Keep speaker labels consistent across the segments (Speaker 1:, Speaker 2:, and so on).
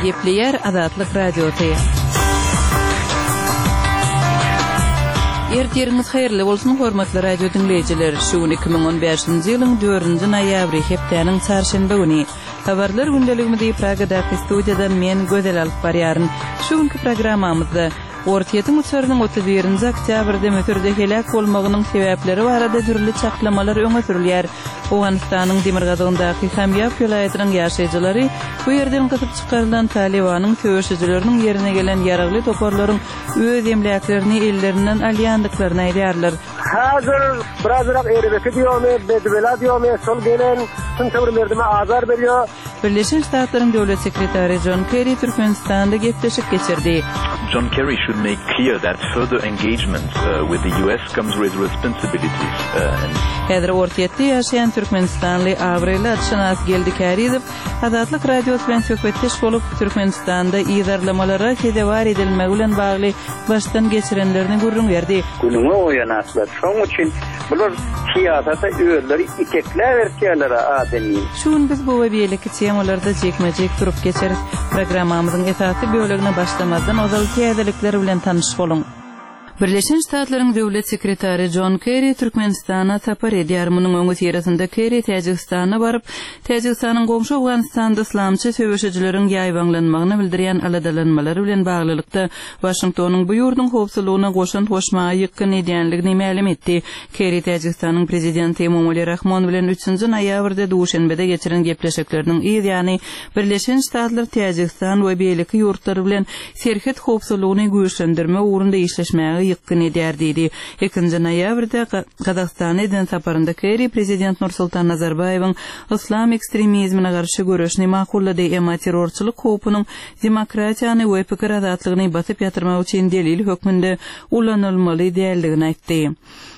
Speaker 1: Gepleýär Azatlyk Radiosy. Ertiriňiz haýyrly bolsun, hormatly radio diňleýjiler! Şu gün 2015-nji ýylyň dördünji noýabry, hepdäniň çarşenbe güni. Habarlar gündeligimizi Pragadaky studiýadan men, Gözel alyp barýaryn. Şu günki programmamyzda Orsýetiň uçarynyň 31-nji oktýabrda Müsürde heläk bolmagynyň sebäpleri barada dürli çaklamalar öňe sürülýär. Owganystanyň demirgazygyndaky Kamýap welaýatynyň ýaşaýjylary bu ýerden gysyp çykarylan Talybanyň söweşijileriniň ýerine gelen ýaragly toparlaryň öz emläklerini ellerinden alýandyklaryny aýdýarlar.
Speaker 2: Häzir birazrak erbeti diýomy, bedibela diýomy, şol gelen şunça bir merdime azar berýär.
Speaker 1: Birleşen Ştatlaryň Döwlet sekretary Jon Kerri Türkmenistanda gepleşik geçirdi.
Speaker 3: John Kerry should make clear that further engagement with the US comes with responsibilities and.
Speaker 1: Häzir Orsýetde ýaşaýan türkmenistanly abraýly atşynas Geldi Kärizow Azatlyk Radiosy bilen söhbetdeş bolup, Türkmenistanda yzarlamalara sezewar edilmegi bilen bagly başdan geçirenlerini gürrüň berdi.
Speaker 4: Günüňe goýan atlar. Şoň üçin bular syýasata özleri itekläp ertýärler adamyny.
Speaker 1: Şu gün biz bu we beýleki temalarda jikme-jik durup geçeris. Programmamyzyň esasy bölegine başlamazdan ozal täzelikler bilen tanyş boluň. Birleşen Ştatlaryň Döwlet sekretary Jon Kerri Türkmenistana sapar edýär. Munuň öňüsyrasynda Kerri Täjigistana baryp, Täjigistanyň goňşy Owganystanda yslamçy söweşijileriň ýaýbaňlanmagyna bildirýän aladalanmalary bilen baglylykda, Waşingtonyň bu ýurduň howpsuzlygyna goşant goşmaga ýykgyn edýänligini mälim etdi. Kerri Täjigistanyň Prezidenti Emomali Rahmon bilen üçünji noýabrda Duşenbede geçiren gepleşikleriniň yz ýany Birleşen Ştatlar Täjigistan we beýleki ýurtlar bilen serhet howpsuzlygyny güýçlendirmek ugrunda işleşmäge ýykgyn edýär diýdi. Ikinji noýabrda Gazagystana eden saparynda Kerri Prezident Nursultan Nazarbaýewiň yslam ekstremizmine garşy göreşini makullady, emma terrorçylyk howpunyň demokratiýany we pikir azatlygyny basyp ýatyrmak üçin delil hökmünde ulanylmaly däldigini aýtdy.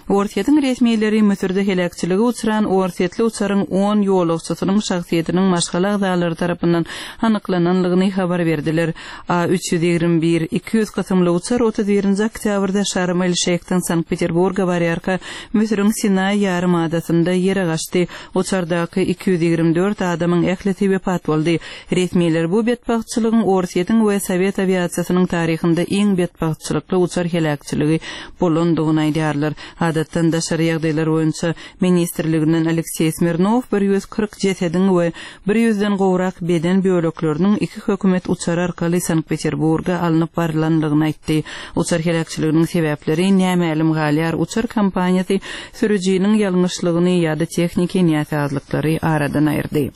Speaker 1: Orsýetiň resmileri Müsürde heläkçilige uçran orsýetli uçaryň on ýolagçysynyň şahsyýetiniň maşgala agzalary tarapyndan anyklananlygyny habar berdiler. A 321, 200 kysymly uçar 31-nji oktýabrda Şarm-el-Şeýhden Sankt-Peterburga barýarka Müsüriň Sinaý ýarym adasynda ýere gaçdy. Uçardaky 224 adamyň ählisi wepat boldy. Resmiler bu betbagtçylygyň Orsýetiň we sowet awiasiýasynyň taryhynda iň betbagtçylykly uçar heläkçiligi bolandygyny aýdýarlar. Adatdan daşary ýagdaýlar boýunça ministrliginden Alekseý Smirnow 140 jesediň we bir ýüzden gowrak beden bölekleriniň iki hökümet uçary arkaly Sankt-Peterburga alnyp barylandygyny aýtdy. Uçar heläkçiliginiň sebäpleri nämälim galýar, uçar kompaniýasy sürüjiniň ýalňyşlygyny ýa-da tehniki näsazlyklary aradan aýyrdy.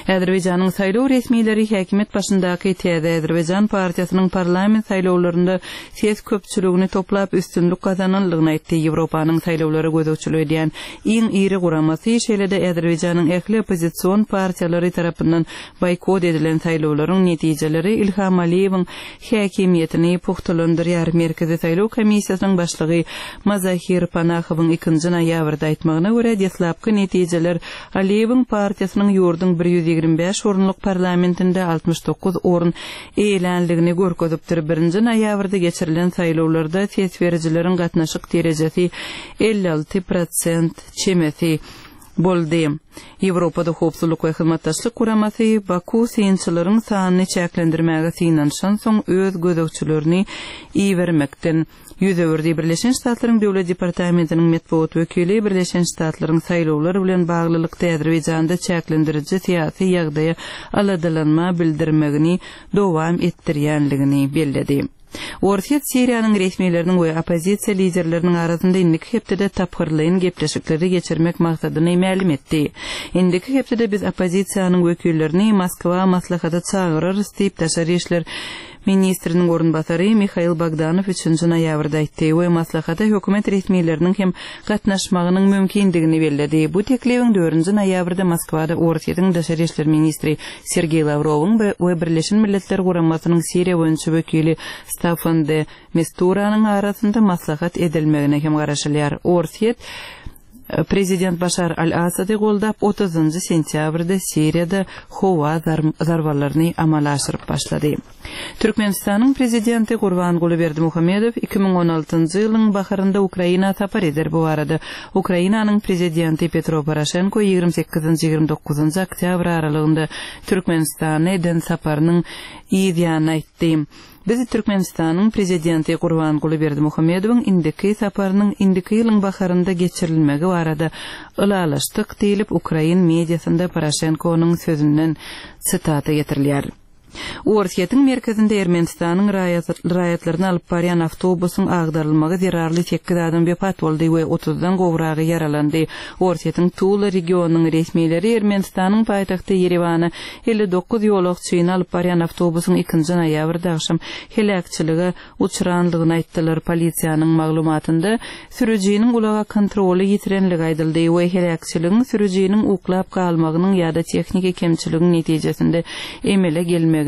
Speaker 1: Azerbaýjanyň saýlaw resmileri häkimiýet başyndaky Täze Azerbaýjan partiýasynyň parlament saýlawlarynda ses köpçüligini toplap üstünlik gazananlygyny aýtdy. Ýewropanyň saýlawlara gözegçilik edýän iň iri guramasy, şeýle-de Azerbaýjanyň ähli oppozision partiýalary tarapyndan boýkot edilen saýlawlaryň netijeleri Ilham Aliýewiň häkimiýetini pugtalandyrýar. Merkezi saýlaw komissiýasynyň başlygy Mazahir Panahowyň ikinji noýabrda aýtmagyna görä, deslapky netijeler Aliýewiň partiýasynyň ýurduň 125 orunlyk parlamentinde 69 orun eýelänligini görkezipdir. Birinji noýabrda geçirilen saýlawlarda ses berijileriň gatnaşyk derejesi 56 prosent çemesi boldy. Ýewropada Howpsuzlyk we Hyzmatdaşlyk Guramasy Baku synçylaryň sanyny çäklendirmäge synanyşansoň öz gözegçilerini ibermekden ýüz öwürdi. Birleşen Ştatlaryň Döwlet departamentiniň metbugat wekili Birleşen Ştatlaryň saýlawlar bilen baglylykda Azerbaýjanda çäklendiriji syýasy ýagdaýa aladalanma bildirmegini dowam etdirýänligini belledi. Orsýet Siriýanyň resmileriniň we oppozisiýa liderleriniň arasynda indiki hepdede tapgyrlaýyn gepleşikleri geçirmek maksadyny mälim etdi. Indiki hepdede biz oppozisiýanyň wekillerini Moskwa maslahata çagyrarys diýip, daşary işler ministriniň orunbasary Mihail Bogdanow üçünji noýabrda aýtdy we maslahata hökümet resmileriniň hem gatnaşmagynyň mümkindigini belledi. Bu teklibiň dördünji noýabrda Moskwada Orsýetiň daşary işler ministri Sergeý Lawrowyň we Birleşen Milletler Guramasynyň Siriýa boýunça wekili Staffan de Misturanyň arasynda maslahat edilmegine hem garaşylýar. Orsýet. Prezident Başar al-Assady goldap, otuzynjy sentýabrda Siriýada howa zarbalaryny amala aşyryp başlady. Türkmenistanyň Prezidenti Gurbanguly Berdimuhamedow 2016-njy ýylyň baharynda Ukraina sapar eder. Bu barada Ukrainanyň Prezidenti Petro Poroşenko ýigrimi sekizinji, 29-njy oktýabr aralygynda Türkmenistana eden saparynyň yz ýany aýtdy. Biz Türkmenistanyň Prezidenti Gurbanguly Berdimuhamedowyň indiki saparynyň indiki ýylyň baharynda geçirilmegi barada ylalaşdyk diýlip, ukrain mediasynda Poroşenkonyň sözünden sitata getirilýär. Orsýetiň merkezinde Ermenistanyň raýatlaryny alyp barýan awtobusyň agdarylmagy zerarly sekiz adam wepat boldy we otuzdan gowragy ýaralandy. Orsýetiň Tula regionynyň resmileri Ermenistanyň paýtagty Ýerewana 59 ýolagçyny alyp barýan awtobusyň ikinji noýabrda agşam heläkçilige uçranlygyny aýtdylar. Polisiýanyň maglumatynda, sürüjiniň ulaga kontroly ýitirenligi aýdyldy we heläkçiligiň sürüjiniň uklap galmagynyň ýa-da tehniki kemçiligiň netijesinde emele gelmeginiň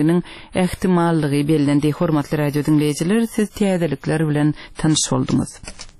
Speaker 1: ähtimallygy bellendi. Hormatly radio diňleýjiler, siz täzelikler bilen tanyş bolduňyz.